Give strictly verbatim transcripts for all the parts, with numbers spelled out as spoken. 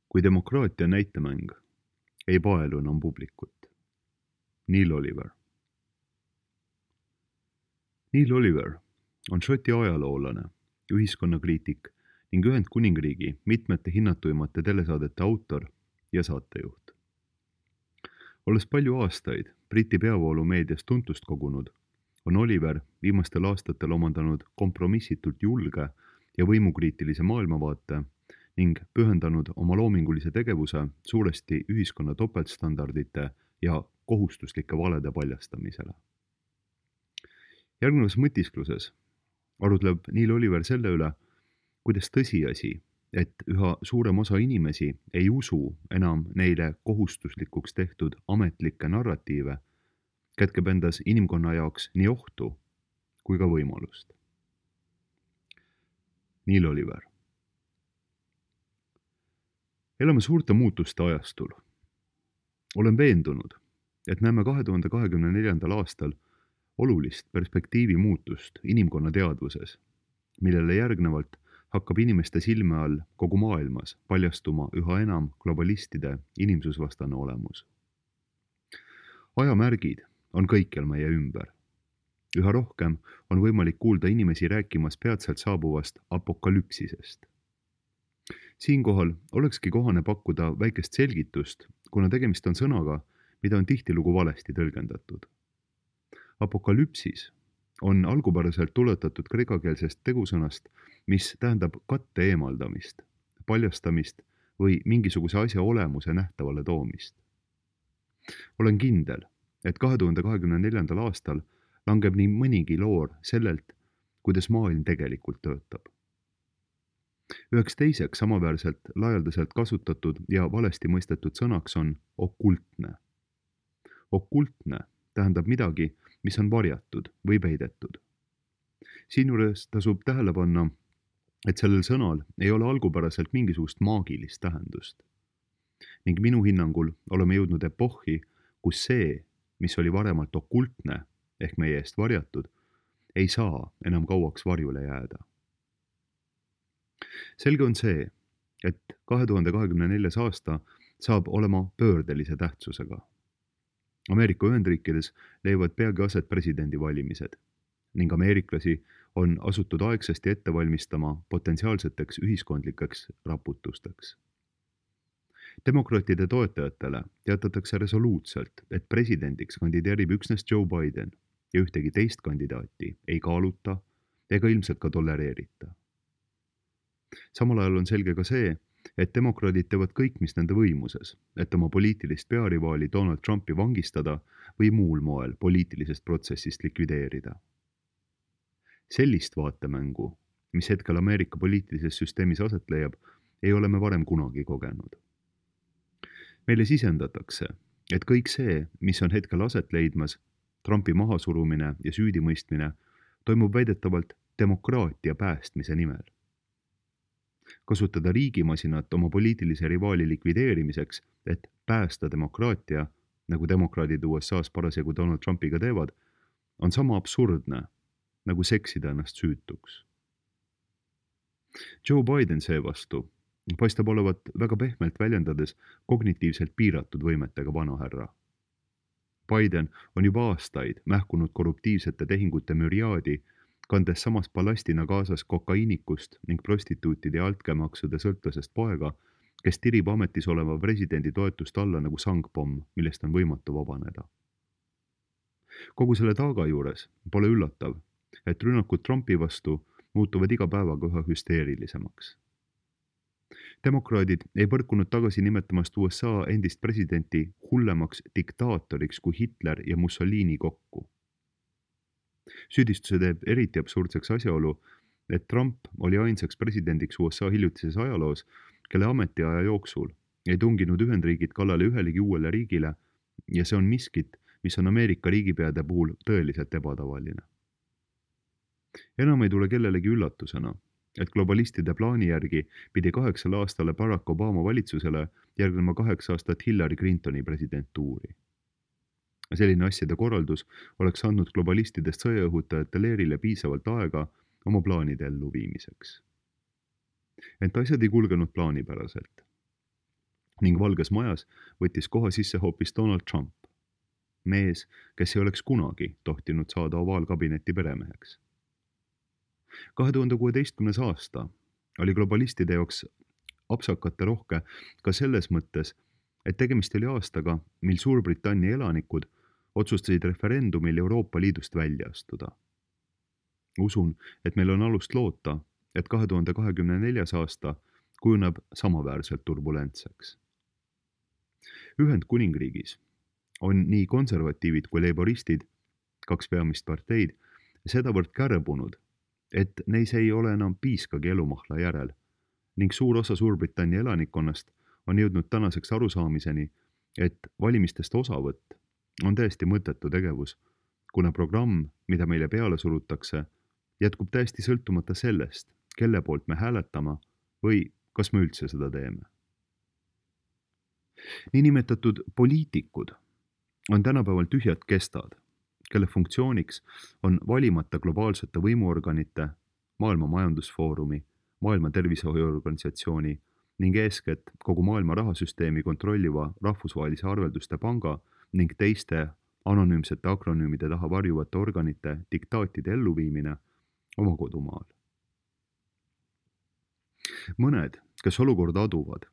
Kui demokraatia on näitemäng, ei paelu enam publikut. Neil Oliver. Neil Oliver on Šoti ajaloolane, ühiskonnakriitik ning Ühendkuningriigi mitmete hinnatuimate telesaadete autor ja saatejuht. Olles palju aastaid Briti peavoolumeedias tuntust kogunud, on Oliver viimastel aastatel omandanud kompromissitult julge ja võimukriitilise maailmavaate ning pühendanud oma loomingulise tegevuse suuresti ühiskonna topeltstandardite ja kohustuslike valede paljastamisele. Järgnevas mõtiskluses arutleb Neil Oliver selle üle, kuidas tõsiasi, et üha suurem osa inimesi ei usu enam neile kohustuslikuks tehtud ametlikke narratiive, kätkeb endas inimkonna jaoks nii ohtu kui ka võimalust. Neil Oliver. Elame suurte muutuste ajastul. Olen veendunud, et näeme kahe tuhande kahekümne neljandal aastal olulist perspektiivi muutust inimkonna teadvuses, millele järgnevalt hakkab inimeste silme all kogu maailmas paljastuma üha enam globalistide inimsusvastane olemus. Ajamärgid on kõikjal meie ümber. Üha rohkem on võimalik kuulda inimesi rääkimas peatselt saabuvast apokalüpsisest. Siinkohal olekski kohane pakkuda väikest selgitust, kuna tegemist on sõnaga, mida on tihtilugu valesti tõlgendatud. Apokalüpsis on algupäraselt tuletatud kreekakeelsest tegusõnast, mis tähendab katte eemaldamist, paljastamist või mingisuguse asja olemuse nähtavale toomist. Olen kindel, et kahe tuhande kahekümne neljandal aastal langeb nii mõnigi loor sellelt, kuidas maailm tegelikult töötab. Üheks teiseks samaväärselt laialdaselt kasutatud ja valesti mõistetud sõnaks on okultne. Okultne tähendab midagi, mis on varjatud või peidetud. Siinjuures tasub tähele panna, et sellel sõnal ei ole algupäraselt mingisugust maagilist tähendust. Ning minu hinnangul oleme jõudnud epohhi, kus see, mis oli varemalt okultne ehk meie eest varjatud, ei saa enam kauaks varjule jääda. Selge on see, et kahe tuhande kahekümne neljas aasta saab olema pöördelise tähtsusega. Ameerika Ühendriikides leiavad peagi aset presidendivalimised ning ameeriklasi on asutud aegsasti ette valmistama potentsiaalseteks ühiskondlikeks raputusteks. Demokraatide toetajatele teatatakse resoluutselt, et presidendiks kandideerib üksnes Joe Biden ja ühtegi teist kandidaati ei kaaluta ega ilmselt ka tolereerita. Samal ajal on selge ka see, et demokraadid teevad kõik, mis nende võimuses, et oma poliitilist pearivaali Donald Trumpi vangistada või muul moel poliitilisest protsessist likvideerida. Sellist vaatemängu, mis hetkel Ameerika poliitilises süsteemis aset leiab, ei ole me varem kunagi kogenud. Meile sisendatakse, et kõik see, mis on hetkel aset leidmas, Trumpi mahasurumine ja süüdimõistmine, toimub väidetavalt demokraatia päästmise nimel. Kasutada riigimasinat oma poliitilise rivaali likvideerimiseks, et päästa demokraatia, nagu demokraadid U S A-s parasjagu Donald Trumpiga teevad, on sama absurdne, nagu seksida ennast süütuks. Joe Biden seevastu paistab olevat väga pehmelt väljendades kognitiivselt piiratud võimetega vanahärra. Biden on juba aastaid mähkunud korruptiivsete tehingute müriaadi, kandes samas ballastina kaasas kokaiinikust ning prostituutide ja altkäemaksude sõltlasest poega, kes tirib ametis oleva presidendi toetust alla nagu sangpomm, millest on võimatu vabaneda. Kogu selle taaga juures pole üllatav, et rünnakud Trumpi vastu muutuvad iga päevaga üha hüsteerilisemaks. Demokraadid ei põrkunud tagasi nimetamast U S A endist presidenti hullemaks diktaatoriks kui Hitler ja Mussolini kokku. Süüdistuse teeb eriti absurdseks asjaolu, et Trump oli ainsaks presidendiks U S A hiljutises ajaloos, kelle ametiaja jooksul ei tunginud Ühendriigid kallale ühelegi uuele riigile ja see on miskit, mis on Ameerika riigipeade puhul tõeliselt ebatavaline. Enam ei tule kellelegi üllatusena, et globalistide plaani järgi pidi kaheksale aastale Barack Obama valitsusele järgnema kaheksa aastat Hillary Clintoni presidentuuri. Selline asjade korraldus oleks andnud globalistidest sõjaõhutajate leerile piisavalt aega oma plaanide elluviimiseks. Ent asjad ei kulgenud plaanipäraselt. ning Valges Majas võttis koha sisse hoopis Donald Trump, mees, kes ei oleks kunagi tohtinud saada ovaalkabineti peremeheks. kahe tuhande kuueteistkümnes aasta oli globalistide jaoks apsakate rohke ka selles mõttes, et tegemist oli aastaga, mil Suurbritannia elanikud otsustasid referendumil Euroopa Liidust välja astuda. Usun, et meil on alust loota, et kahe tuhande kahekümne neljas aasta kujuneb samaväärselt turbulentseks. Ühendkuningriigis on nii konservatiivid kui leiboristid, kaks peamist parteid, sedavõrd kärbunud, et neis ei ole enam piiskagi elumahla järel ning suur osa Suurbritannia elanikkonnast on jõudnud tänaseks arusaamiseni, et valimistest osavõtt on täiesti mõttetu tegevus, kuna programm, mida meile peale surutakse, jätkub täiesti sõltumata sellest, kelle poolt me hääletama või kas me üldse seda teeme. Niinimetatud poliitikud on tänapäeval tühjad kestad, kelle funktsiooniks on valimata globaalsete võimuorganite, Maailma Majandusfoorumi, Maailma Tervishoiuorganisatsiooni ning eeskätt kogu maailma rahasüsteemi kontrolliva rahvusvahelise arvelduste panga ning teiste anonüümsete akronüümide taha varjuvate organite diktaatide elluviimine oma kodumaal. Mõned, kes olukorda aduvad,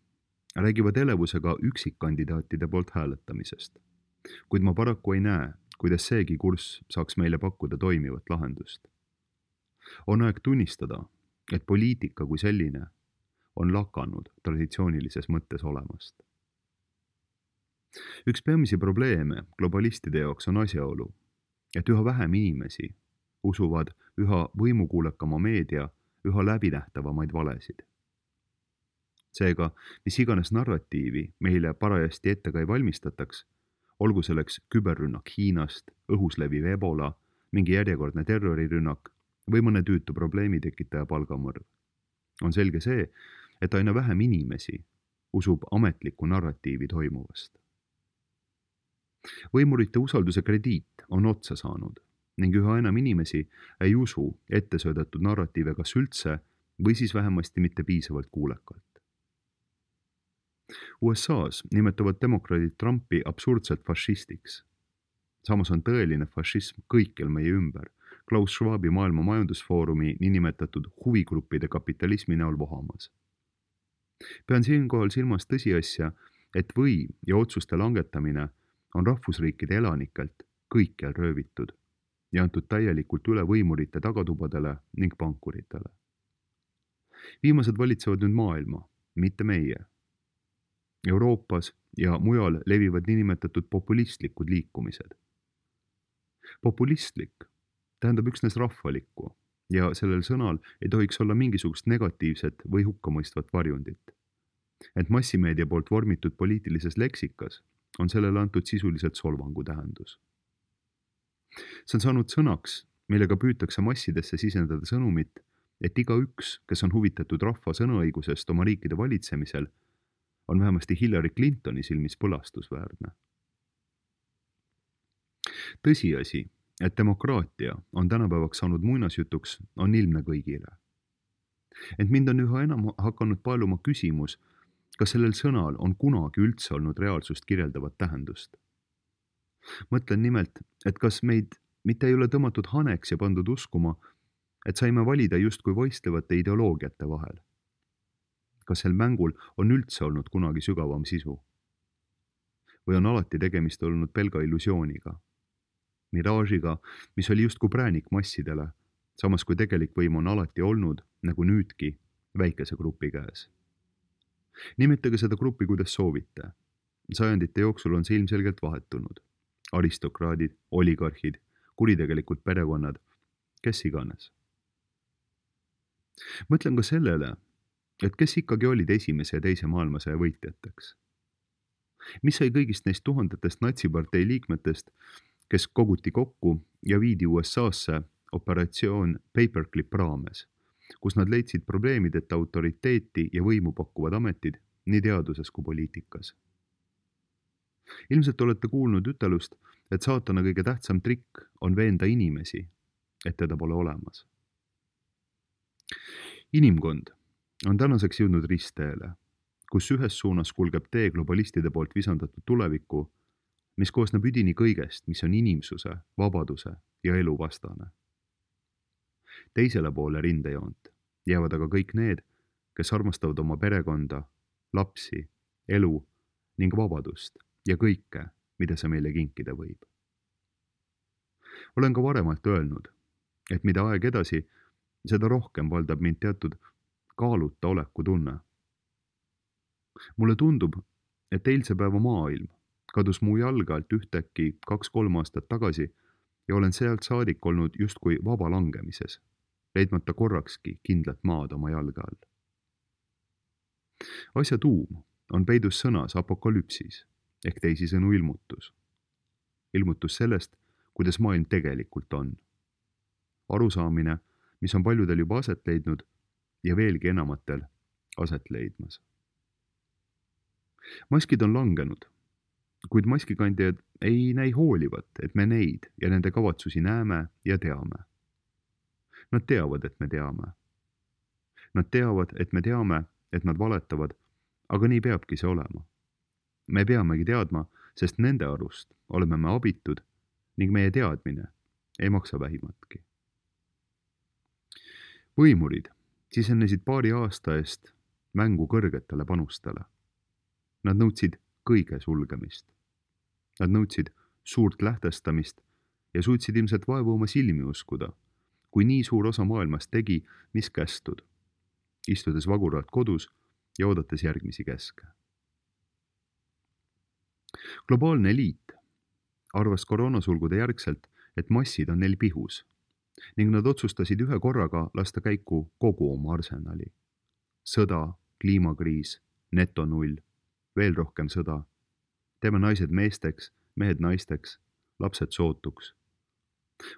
räägivad elevusega üksikkandidaatide poolt hääletamisest, kuid ma paraku ei näe, kuidas seegi kurss saaks meile pakkuda toimivat lahendust. On aeg tunnistada, et poliitika kui selline on lakanud traditsioonilises mõttes olemast. Üks peamisi probleeme globalistide jaoks on asjaolu, et üha vähem inimesi usuvad üha võimukuulekama meedia üha läbinähtavamaid valesid. Seega, mis iganes narratiivi meile parajasti ette ka ei valmistataks, olgu selleks küberrünnak Hiinast, õhus leviv ebola, mingi järjekordne terrorirünnak või mõne tüütu probleemi tekitaja palgamõrv. On selge see, et aina vähem inimesi usub ametlikku narratiivi toimuvast. Võimurite usalduse krediit on otsa saanud ning üha enam inimesi ei usu ette söödetud narratiive kas üldse või siis vähemasti mitte piisavalt kuulekalt. U S A-s nimetavad demokraadid Trumpi absurdselt fašistiks. Samas on tõeline fašism kõikjal meie ümber, Klaus Schwabi Maailma Majandusfoorumi niinimetatud huvigruppide kapitalismi näol vohamas. Pean siinkohal silmas tõsiasja, et võim ja otsuste langetamine on rahvusriikide elanikelt kõikjal röövitud ja antud täielikult üle võimurite tagatubadele ning pankuritele. Viimased valitsevad nüüd maailma, mitte meie. Euroopas ja mujal levivad niinimetatud populistlikud liikumised. Populistlik tähendab üksnes rahvalikku ja sellel sõnal ei tohiks olla mingisugust negatiivset või hukkamõistvat varjundit. Ent massimeedia poolt vormitud poliitilises leksikas on sellele antud sisuliselt solvangu tähendus. See on saanud sõnaks, millega püütakse massidesse sisendada sõnumit, et igaüks, kes on huvitatud rahva sõnaõigusest oma riikide valitsemisel, on vähemasti Hillary Clintoni silmis põlastusväärne. Tõsiasi, et demokraatia on tänapäevaks saanud muinasjutuks, on ilmne kõigile. Ent mind on üha enam hakanud paeluma küsimus, kas sellel sõnal on kunagi üldse olnud reaalsust kirjeldavat tähendust. Mõtlen nimelt, et kas meid mitte ei ole tõmmatud haneks ja pandud uskuma, et saime valida justkui võistlevate ideoloogiate vahel. Kas sel mängul on üldse olnud kunagi sügavam sisu? Või on alati tegemist olnud pelga illusiooniga? Miraažiga, mis oli justkui präänik massidele, samas kui tegelik võim on alati olnud, nagu nüüdki, väikese grupi käes. Nimetage seda gruppi, kuidas soovite. Sajandite jooksul on see ilmselgelt vahetunud. Aristokraadid, oligarhid, kuritegelikud perekonnad, kes iganes. Mõtlen ka sellele, et kes ikkagi olid esimese ja teise maailmasõja võitjateks. Mis sai kõigist neist tuhandetest natsipartei liikmetest, kes koguti kokku ja viidi U S A-sse operatsioon Paperclip raames, kus nad leidsid probleemideta autoriteeti ja võimu pakkuvad ametid nii teaduses kui poliitikas. Ilmselt olete kuulnud ütelust, et saatana kõige tähtsam trikk on veenda inimesi, et teda pole olemas. Inimkond on tänaseks jõudnud ristteele kus ühes suunas kulgeb tee globalistide poolt visandatud tulevikku, mis koosneb üdini kõigest, mis on inimsuse, vabaduse ja elu vastane. Teisele poole rindejoont jäävad aga kõik need, kes armastavad oma perekonda, lapsi, elu ning vabadust ja kõike, mida see meile kinkida võib. Olen ka varemalt öelnud, et mida aeg edasi, seda rohkem valdab mind teatud kaaluta oleku tunne. Mulle tundub, et eilse päeva maailm kadus mu jalge alt ühtäkki kaks-kolm aastat tagasi ja olen sealt saadik olnud justkui vaba langemises, leidmata korrakski kindlat maad oma jalge all. Asja tuum on peidus sõnas apokalüpsis ehk teisisõnu ilmutus. Ilmutus sellest, kuidas maailm tegelikult on. Arusaamine, mis on paljudel juba aset leidnud ja veelgi enamatel aset leidmas. Maskid on langenud, kuid maskikandjad ei näi hoolivat, et me neid ja nende kavatsusi näeme ja teame. Nad teavad, et me teame. Nad teavad, et me teame, et nad valetavad, aga nii peabki see olema. Me peamegi teadma, sest nende arust oleme me abitud ning meie teadmine ei maksa vähimatki. Võimurid sisenesid paari aasta eest mängu kõrgetele panustele. Nad nõudsid kõige sulgemist. Nad nõudsid suurt lähtestamist ja suutsid ilmselt vaevu oma silmi uskuda, kui nii suur osa maailmast tegi, mis kästud, istudes vaguralt kodus ja oodates järgmisi käske. Globaalne eliit arvas koroonasulgude järgselt, et massid on neil pihus ning nad otsustasid ühe korraga lasta käiku kogu oma arsenali. Sõda, kliimakriis, netonull, veel rohkem sõda. Teeme naised meesteks, mehed naisteks, lapsed sootuks.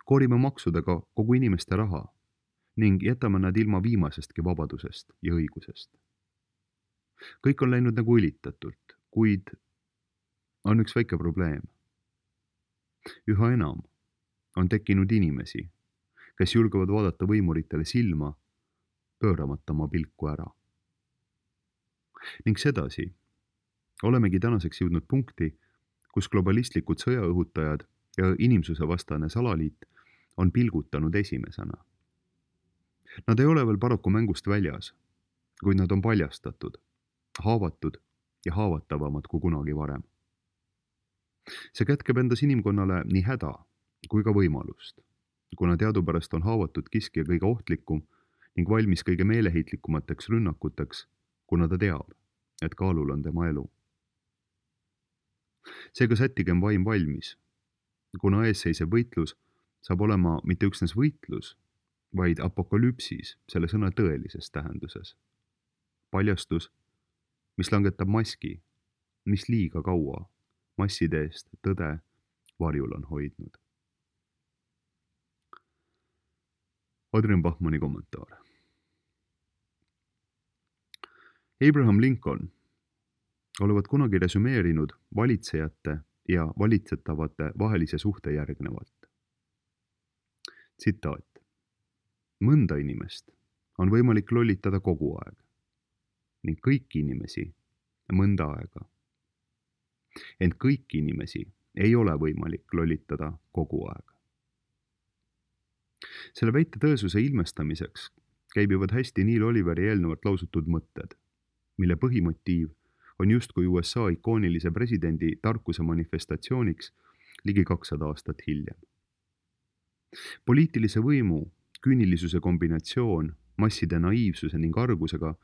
Koorime maksudega kogu inimeste raha ning jätame nad ilma viimasestki vabadusest ja õigusest. Kõik on läinud nagu õlitatult, kuid on üks väike probleem. Üha enam on tekkinud inimesi, kes julgevad vaadata võimuritele silma, pööramata oma pilku ära. Ning sedasi olemegi tänaseks jõudnud punkti, kus globalistlikud sõjaõhutajad ja inimsuse vastane salaliit on pilgutanud esimesena. Nad ei ole veel paraku mängust väljas, kuid nad on paljastatud, haavatud ja haavatavamad kui kunagi varem. See kätkeb endas inimkonnale nii häda kui ka võimalust, kuna teadupärast on haavatud kiskja kõige ohtlikum ning valmis kõige meeleheitlikkumateks rünnakuteks, kuna ta teab, et kaalul on tema elu. Seega sättigem vaim valmis, kuna eesseisev võitlus saab olema mitte üksnes võitlus, vaid apokalüpsis selle sõna tõelises tähenduses. Paljastus, mis langetab maski, mis liiga kaua masside eest tõde varjul on hoidnud. Adrian Bachmanni kommentaar. Abraham Lincoln olevat kunagi resümeerinud valitsejate ja valitsetavate vahelise suhte järgnevalt. Tsitaat. Mõnda inimest on võimalik lollitada kogu aeg ning kõiki inimesi mõnda aega. Ent kõiki inimesi ei ole võimalik lollitada kogu aeg. Selle väite tõesuse ilmestamiseks käibivad hästi Neil Oliveri eelnevalt lausutud mõtted, mille põhimotiiv on justkui U S A ikoonilise presidendi tarkuse manifestatsiooniks ligi kakssada aastat hiljem. Poliitilise võimu küünilisuse kombinatsioon masside naiivsuse ning argusega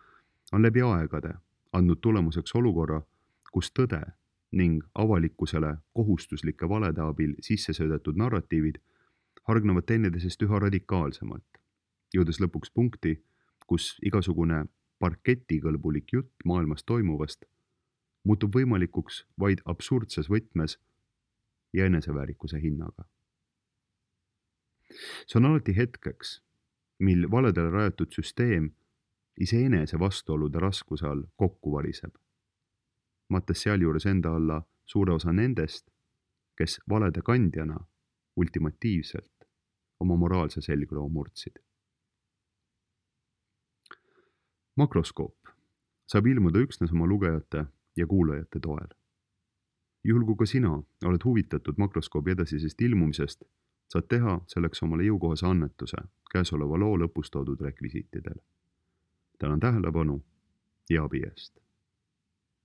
on läbi aegade andnud tulemuseks olukorra, kus tõde ning avalikkusele kohustuslike valede abil sisse söödetud narratiivid hargnevad teineteisest üha radikaalsemalt, jõudes lõpuks punkti, kus igasugune parketikõlbulik jutt maailmas toimuvast muutub võimalikuks vaid absurdses võtmes ja eneseväärikuse hinnaga. See on alati hetkeks, mil valedele rajatud süsteem iseenese vastuolude raskuse all kokku variseb, mattes sealjuures enda alla suure osa nendest, kes valede kandjana ultimatiivselt oma moraalse selgroo murdsid. Makroskoop saab ilmuda üksnes oma lugejate ja kuulajate toel. Juhul kui ka sina oled huvitatud makroskoobi edasisest ilmumisest, saad teha selleks omale jõukohase annetuse käesoleva loo lõpus toodud rekvisiitidel. Tänan tähelepanu ja abi eest!